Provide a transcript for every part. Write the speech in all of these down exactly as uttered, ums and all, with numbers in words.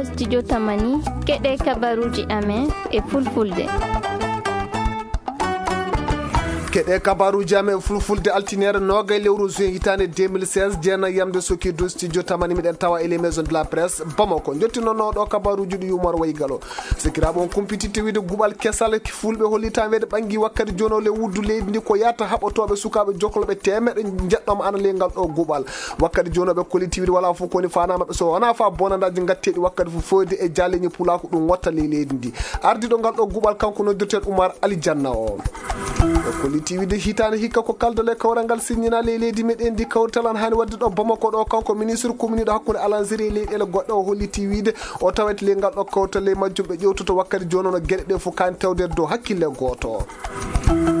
Studio Tamani, keɗe kabaruuji amen e fulfulde. Keɗe kabaruuji amen e fulfulde, altiniere noogay lewru juin hitaande deux mille seize, jeenay yamde soki dow studio Tamani, miɗen tawa e les maisons de la presse Bamako. Njottinono ɗo kabaruuji ɗi Umar Waygalo. Sikiraaɓe, on kumpititte wiide guɓal kesal fulɓe hollitaa weede ɓangi wakkati jooni o le wuddu leydi ndi ko yahata haɓotooɓe sukaaɓe jokkolɓe teemeɗɗe njeɗɗo ana ley ngal ɗo guɓal. Wakkati jooni o ɓe kolliti wiide walaa fof ko woni faanaa maɓɓe so wonaa faa bonandaaji ngatteeɗi wakkati fof fewde e jaaleeji pulaaku ɗum ngotta ley leydi ndi. Ardiiɗo ngal ɗo guɓal kanko noddirteeɗo Umar Alijanna o. Ɓe kolliti wiide hitaande hikka ko kaldal e kawral ngal siññinaa ley leydi meɗen ndi kawrital ana haani waɗde ɗo Bamako ɗo. Kanko ministre kominiiɗo hakkunde alanziri e leyɗeele goɗɗe o holliti wiide o tawete ley ngal ɗo kawrital ley majjum ɓe ƴewtoto wakkati jooni o no geɗe ɗe fof kaani tawde dow hakkille gooto.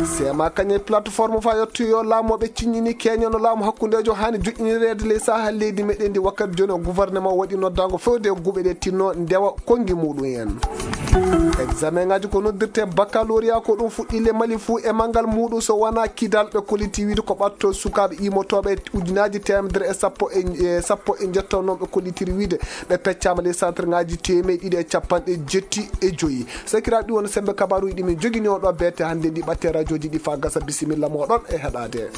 Seema kañe plateforme fa yottoyo laamu o ɓe ciññini keñono laamu hakkundeejo haani joƴƴinireede ley saha leydi meɗen ndi wakkati jooni o gouvernement waɗi noddaango fewde e guɓe ɗe tinno ndewa konngi muɗum en. Examen ngaji ko noddirte baccalauréat ko ɗum fuɗɗi le Mali fuu e manngal muɗum so wonaa Kidal ɓe kolliti wiide ko ɓatto sukaaɓe immotooɓe ujunaaji teemedere e sappo e, e sappo e njetto noon ɓe kollitiri wiide ɓe peccaama ley centre ngaji teemeɗɗe ɗiɗi e capanɗe jetti e joyi. Sakiraaɓe ɗi woni sembe kabaruuji ɗi min jogini on ɗo beete hannde ndi ɓatte rajooji ɗi faa gasa bisimilla mooɗon e heɗaade.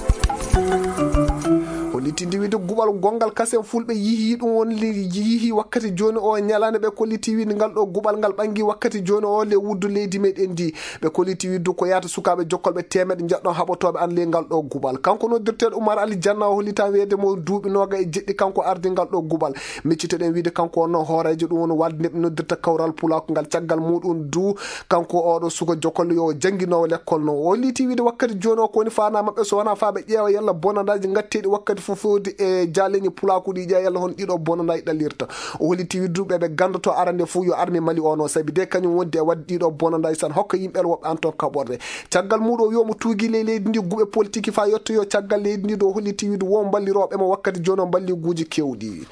Hollitinde wiide guɓal gonngal kasen fulɓe yihi ɗum won li-, yihi wakkati jooni o ñalaande ɓe kolliti wiide ngal ɗo guɓal ngal ɓangi wakkati jooni o le wuddu leydi meɗen ndi. Ɓe kolliti wiide ko yahata sukaaɓe jokkolɓe teemeɗɗe njeɗɗon haɓotooɓe an ley ngal ɗo guɓal. Kanko noddirteeɗo Umar Ali Janna o hollitaa weede mo duuɓi nooga e jeɗɗi kanko ardi ngal ɗo guɓal. Miccitoɗen wiide kanko wonno hooreejo ɗum woni walde nde ɓe noddirta kawral pulaaku ngal caggal muɗum du kanko oɗo suka jokollo yo jannginoowo lekkol no. O holliti wiide wakkati jooni o ko woni faanaa maɓɓe so wonaa faa ɓe ƴeewa yalla bonandaaji ngatteeɗi wakkati fof fewde e jaaleeji pulaaku ɗi ƴeewa yalla hon ɗiɗo bonandaaji ɗallirta. O holliti wiide du ɓe ɓe ganndotoo arande fof yo armée Mali o no sabi de kañum wondi e waɗde ɗiɗo bonandaaji san hokka yimɓe woɓɓe an toon kaɓorde. Caggal muɗum o wiyo mo tuugi ley leydi ndi guɓe politique faa yettoyo caggal leydi ndi ɗo holliti wiide wo mballirooɓe mo wakkati jooni o mballiguuji keewɗi.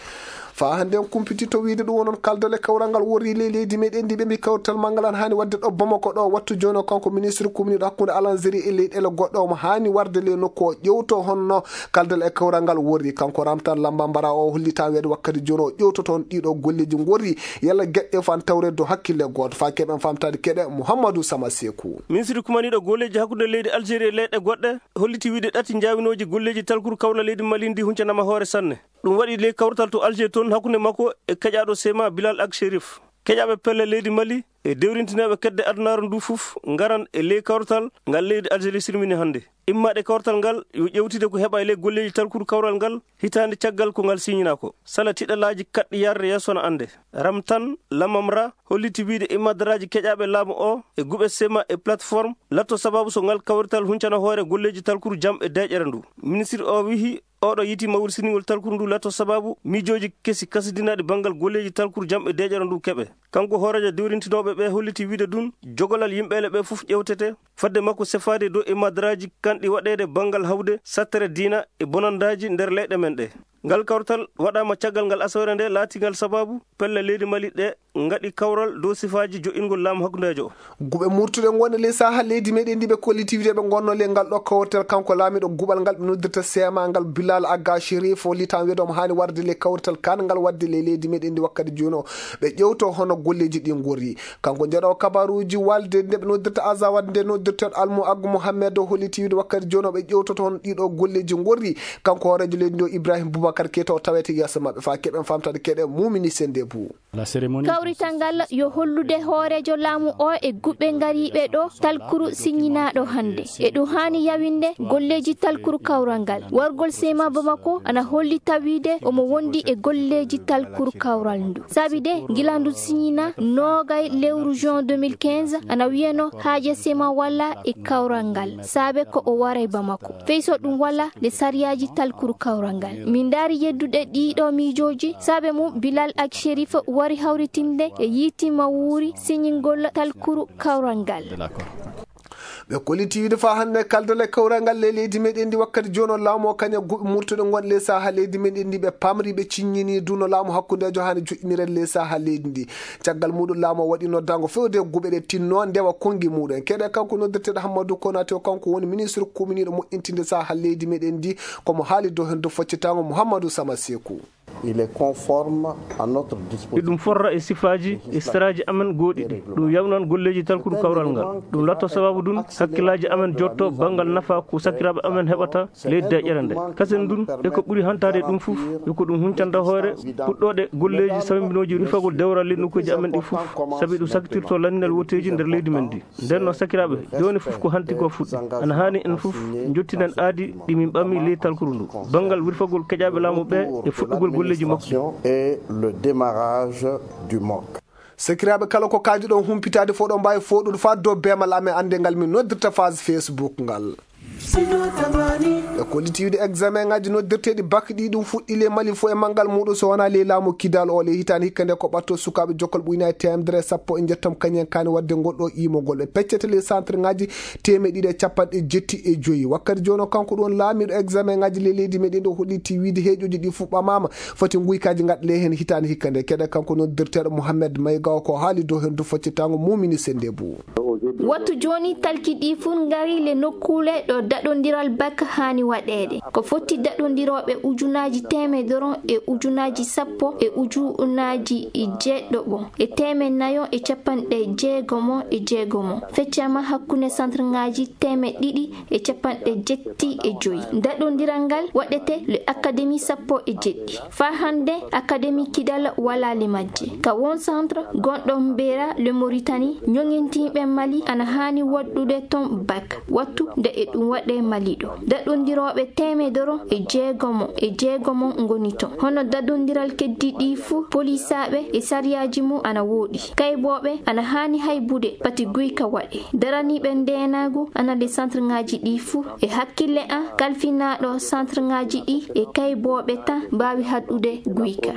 Faa hannde en kumpititto wiide ɗum wonon kaldal e kawral ngal worri ley leydi meɗen ndi ɓe mbi kawrital manngal an haani waɗde ɗo Bamako ɗo wattu jooni o kanko ministre communiɗo hakkunde alanziri e leyɗeele goɗɗe omo haani warde ley nokku o ƴewto honno kaldal e kawral ngal worri. Kanko Ramtan Lamba Mbara o hollita weede wakkati jooni o ƴewtoto on ɗiɗo golleeji ngorri yalla geɗɗe fan tawre dow hakkille gooto. Faa keɓen famtaade keɗe Mouhamadou Sama Sekou. Ministre kumaniiɗo golleeji hakkunde leydi Algérie e leyɗe goɗɗe holliti wiide ɗati njaawinooji golleeji talkuru kawral leydi Mali ndi huncanama hoore sanne. Ɗum waɗi ley kawrital to Alger toon hakkunde makko e keƴaaɗo Sema Bilal Ak Sherif. Keƴaaɓe pelle leydi Mali e dewrintinooɓe kedde adunaaru ndu fof ngaran e ley kawrital ngal leydi Algérie sirmini hannde. Immaaɗe kawrital ngal yo ƴewtide ko heɓa e ley golleeji talkuru kawral ngal hitaande caggal ko ngal siñinaa ko. Sala tiɗalaaji kaɗɗi yarde yeeso no annde. Ramtan Lamamra holliti wiide immadaraaji keƴaaɓe laamu o e guɓe Sema e plateforme latto sababu so ngal kawrital huncana hoore golleeji talkuru jam e deeƴere ndu. Ministre o wihi oɗo yiiti mawri siningol talkuru ndu latto sababu miijooji kesi kasidinaaɗi banngal golleeji talkuru jam e deeƴere ndu keɓe. Kanko hooreejo dewrintinooɓe ɓe holliti wiide ɗum jogolal yimɓeele ɓe fof ƴewtete. Fadde makko sefaade dow e madaraaji kanɗi waɗeede banngal hawde sattere diina e bonandaaji nder leyɗe men ɗe. Ngal kawtal waɗaama caggal ngal asawere nde laatingal sababu pelle leydi Mali ɗe ngaɗi kawral dow sifaaji jo'ingol laamu hakkundeejo o. Guɓe murtuɗe ngonɗe ley saha leydi meɗen ndi ɓe kolliti wiide ɓe ngonno ley ngal ɗo kawrital kanko laamiɗo guɓal ngal ɓe noddirta seema ngal Bilal Agga Sherif o litan wiide omo haani warde ley kawrital kan ngal waɗde ley leydi meɗen ndi wakkati jooni o ɓe ƴewto hono golleeji ɗi ngorri. Kanko njeɗo kabaruuji walde nde ɓe noddirta Azawad nde noddirteeɗo Almu Aggu Mohammed o holliti wiide wakkati jooni o ɓe ƴewtoto hono ɗiɗo golleeji ngorri. Kanko hooreejo leydi ndi o Ibrahim Boubacar Keita o tawete yeeso maɓɓe faa keɓen famtade keɗe Mumini Sende Bou. Kawrital ngal yo hollude hooreejo laamu o e guɓe ngariiɓe ɗo talkuru siññinaaɗo hannde. E ɗum haani yawinde golleeji talkuru kawral ngal. Wargol Sema Bamako ana holli tawiide omo wondi e golleeji talkuru kawral ndu. Sabi de, gila ndu siññina noogay lewru juin deux mille quinze, ana wiyeno haaje Sema walla e kawral ngal. Saabe ko o waray Bamako. Fey so ɗum walla nde sariyaaji talkuru kawral ngal. Min ndaari yeddude ɗiɗo miijooji, saabe mum Bilal Ak Sherif wari hawritinde e yiiti ma wuuri siñingol talkuru kawral ngal. Ɓe kolliti wiide faa hannde kaldal e kawral ngal ley leydi meɗen ndi wakkati jooni o laamu o kaña guɓe murtuɗe ngonɗe ley saha leydi meɗen ndi ɓe pamri ɓe ciññini du no laamu hakkundeejo haani joƴƴinireede ley saha leydi ndi. Caggal muɗum laamu o waɗi noddaango fewde guɓe ɗe tinno ndewa konngi muɗum. Keɗe kanko noddirteeɗo Hammadou Konaté o kanko woni ministre kuminiiɗo moƴƴintinde saha leydi meɗen ndi komo haali dow heen dow faccitaango Mouhamadou Sama Sekou. Il est conforme à notre dispositif. Eɗum forra e sifaaji e saraaji amen gooɗiɗi. Ɗum yawnan golleeji talkuru kawral ngal. Ɗum latto sababu ɗum hakkillaaji amen jotto banngal nafa ko sakiraaɓe amen heɓata ley deeƴere nde. Kasen ɗum e ko ɓuri hantaade ɗum fof, yo ko ɗum huncanta hoore puɗɗooɗe golleeji sawmbinooji rufagol dewral ley nokkuuji amen ɗi fof, sabi ɗum sakitirto lanndinal woteeji nder leydi men ndi. Nden noon, sakiraaɓe, jooni fof ko hanti ko fuɗɗi. Ana haani en fof njottinen aadi ɗi min ɓammi ley talkuru ndu, banngal wirfagol keƴaaɓe laamu ɓe e fuɗɗugol golleeji makko. Et le démarrage du MOC. Sakiraaɓe, kala ko kaajuɗon humpitaade fof, ɗon mbaawi fooɗude faa dow beemal amen annde ngal min noddirta page Facebook ngal. E kollitiiwde examen ŋaaji noddirteeɗi bak ɗi ɗum fuɗɗi ley Mali fof e manngal muuɗum, so wonaa ley laamu Kidal o ley hitaande hikka nde ko ɓatto sukaaɓe jokkal ɓuyna e teemedere e sappo e njettam kañum en kaani waɗde ngol ɗo iimogol. Ɓe peccete ley centre ŋaaji teemeɗɗe ɗiɗi e capanɗe jetti e joyi. Wakkati jooni o, kanko ɗum woni laamiiɗo examen ŋaaji ley leydi meɗen ɗo, holliti wiide heeƴooji ɗi fuɗɗaama ma foti nguykaaji ngaɗa ley heen hitaande hikka nde. Keɗe kanko noddirteeɗo Mohamed Mayga o ko haali dow heen dow faccitaango Mumini Sendebou. Wattu jooni talki ɗi fuu ngari le nokkuule ɗo daɗondiral bak haani waɗeede. Ko foti daɗondirooɓe ujunaaji teemedoro e ujunaaji sappo e ujunaaji jeeɗiɗo e teemeɗɗe nayo e capanɗe jeegomo e jeegomo. Feccama hakkunde centre ŋaaji teemeɗɗe ɗiɗi e capanɗe jetti e joyi. Daɗondiral ngal waɗete le académie sappo e jeɗɗi. Faa hannde, Académie Kidal walaali majje. Ka won centre gonɗo Mbera le Mauritanie, ñoŋintiiɓe Mali ana haani waɗude ton bak, wattu nde e ɗum waɗe Mali ɗo. Daɗondirooɓe teemedoro e jeegomo e jeegomo ngoni ton. Hono daɗondiral keddi ɗi fuu, polisaaɓe e sariyaaji mum ana wooɗi. Kaybooɓe ana haani haybude pati guyka waɗe. Daraniiɓe ndeenaagu ana le centre ŋaaji ɗi fuu. E hakkille an, kalfinaaɗo centre ŋaaji ɗi e kaybooɓe tan mbaawi haɗude guyka.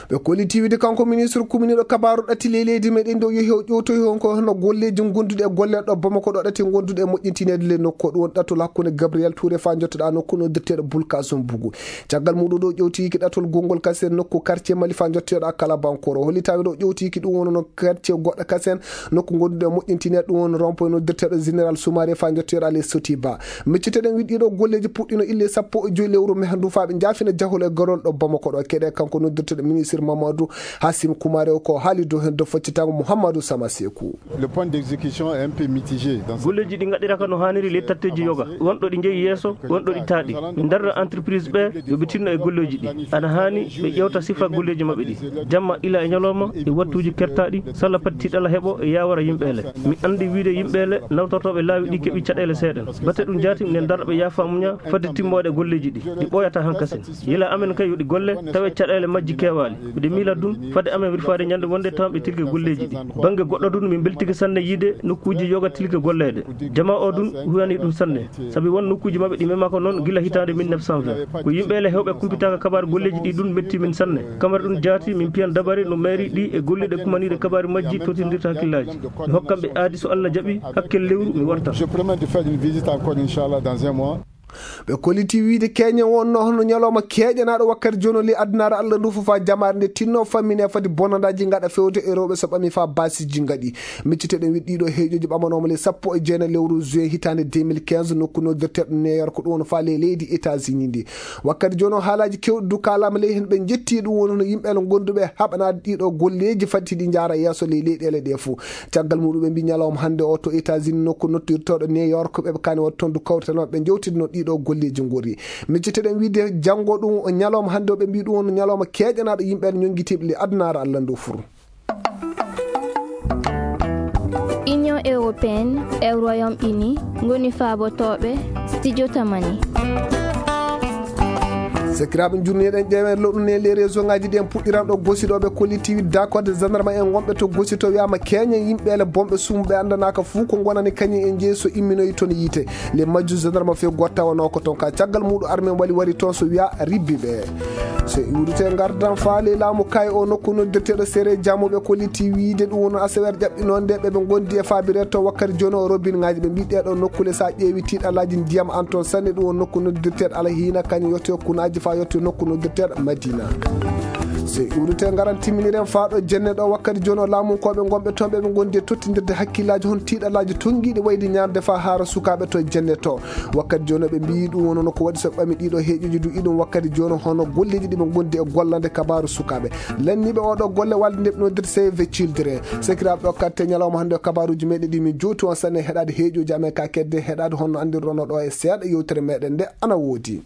Ɓe kolliti wiide kanko ministre kuminiiɗo kabaaru ɗati ley leydi meɗen ɗo yehi o ƴowtoyi on ko hono golleeji gonduɗi e golle ɗo Bamako ɗo ɗati gonduɗi e moƴƴintineede le nokku. Ɗum woni ɗatol hakkunde Gabriel Touré faa njottoɗaa nokku noddirteeɗo Bulkasum Bugu. Caggal muɗum ɗo ƴewtiki ɗatol gonngol kasen nokku quartier Mali faa njottoɗaa Kalabankoro. Hollitaɓe ɗo ƴewtiki ɗum woni no quartier goɗɗo kasen nokku gonduɗo e moƴƴintineede ɗum woni rond-point noddirteeɗo Général Soumaré faa njottoɗaa le Sotiba. Micciteɗen wiɗɗi ɗo golleeji puɗɗino ille sappo e joyi lewru mai ndu faa ɓe njaafina jahol e garol ɗo Bamako ɗo. Keɗe kanko noddirteeɗo ministre Mamadou Hassim Koumare o ko haali dow heen dow faccitango Mouhamadou Sama Sekou. Le point d'exécution est un peu mitigé dans ce... Golleeji ɗi ngaɗiraka no haaniri ley tatteeji yoga. Wonɗo ɗi njeyi yeeso, wonɗo ɗi taaɗi. Min darra entreprise ɓe yo ɓe tinno e golleeji ɗi. Ana haani ɓe ƴewta sifa golleeji maɓɓe ɗi. Jamma ila e ñalawma e wattuuji kertaaɗi, salla pati tiiɗalla heɓo e yaawara yimɓe ele. Mi anndi wiide yimɓe ele nawtortooɓe laawi ɗi keɓi caɗeele seeɗen. Bate ɗum jaati, minen darra ɓe yaafa muña fadde timmoode golleeji ɗi. Ɗi ɓooyata hankasin. Yila amen kay yo ɗi golle, tawe caɗeele majji keewaali. Miɗo miila ɗum, fade amen wirfaade ñande wonde tan ɓe tilke golleeji ɗi. Bannge goɗɗo ɗum, min mbeltike sanne yiide nokkuuji yoga tilke golleede. Jamaa o ɗum huyani ɗum sanne, sabi won nokkuuji maɓɓe ɗi mema ko noon gila hitaande mille neuf cent vingt. Ko yimɓe ele heewɓe kumpitaaka kabaaru golleeji ɗi ɗum metti min sanne. Kamara ɗum jaati, min piyan dabare no mairie ɗi e golliiɗe kumaniiɗe kabaaru majji totindirta hakkillaaji. Mi hokkan ɓe aadi so Allah jaɓi, hakkil lewru mi wartan. Je promets de faire une visite encore, inchallah, dans un mois. Ɓe kolliti wiide keñen wonno hono ñalawma keeƴanaaɗo wakkati jooni ley addunaare Allah ndu fof faa jamaare nde tinno fammine fadi bonandaaji ngaɗa fewde e rewɓe so ɓami faa baasiji ngaɗi. Micciteɗen wiɗ ɗiɗo heeƴoji ɓamanooma ley sappo e jeenayi lewru juin hitaande deux mille quinze nokku noddirteeɗo New York ɗum woni faa ley leydi États-Unis ndi. Wakkati jooni o haalaaji kewɗi du kaalaama ley heen ɓe njetti ɗum woni hono yimɓe ele gonduɓe haɓanaade ɗiɗo golleeji fati ɗi njaara yeeso ley leyɗeele ɗe fof. Caggal muɗum ɓe mbi ñalawma hannde o to États-Unis nokku noddirtooɗo New York ɓe kaani waɗ toon du kawrital maɓɓe njewtidno ɗiɗo golleeji ngori. Micciteɗen wiide janngo ɗum o ñalawma hannde o ɓe mbi ɗum on ñalawma keeƴanaaɗo yimɓe ele ñonngitiiɓe ley addunaare Allah ndu fur. Union européenne e Royaume-Uni ngoni faabotooɓe studio Tamani. Sakiraaɓe, njurniɗen ƴeewen loɗɗun e les réseau ngaji ɗi en puɗɗiran ɗo Gosi ɗo ɓe kolliti wiide dakorde gendarme en wonɓe to Gosi to wiyaama keeñen yimɓe ele bonɓe suumu ɓe anndanaaka fuu ko ngonani kañum en jeyi so imminoyi toon yiite. Les majju gendarme few gottawanoo ko toon ka caggal muɗum armen wali wari toon so wiya ribbi ɓe. So iwrite ngardan faale laamu kay o nokku noddirteeɗo sere jamuɓe kolliti wiide ɗum woni asewer ƴaɓɓinonde ɓe ɓe ngondi e faabire to wakkati jooni o robin ngaji ɓe mbi ɗeɗo nokkule sa ƴeewi tiiɗalaaji ndiyam an toon sanne ɗum woni nokku noddirteeɗo alhiina kañum yotto kunaaji Yetti nokku noddirteeɗo Madina. Sey uurite ngaran timminiren faa ɗo jenne ɗo wakkati jooni o laamunkooɓe ngonɓe toon ɓe ɓe ngondi e tottindirde hakkillaaji hono tiiɗalaaji tonngiiɗi wayde ñaarde faa haara sukaaɓe to jenne to. Wakkati jooni ɓe mbiyi ɗum wonno ko waɗi so ɓami ɗiɗo heeƴuji du iɗum wakkati jooni hono golleeji ɗi ɓe ngondi e gollande kabaaru sukaaɓe. Lanniiɓe oɗo golle walde nde ɓe noddirta Save the Children. Sakiraaɓe ɗo katte ñalawma hannde o kabaaruuji meɗen ɗi min jowti on sanne heɗaade heeƴuji amen ka kedde heɗaade honno anndirɗon ɗo e seeɗa yewtere meɗen nde ana woodi.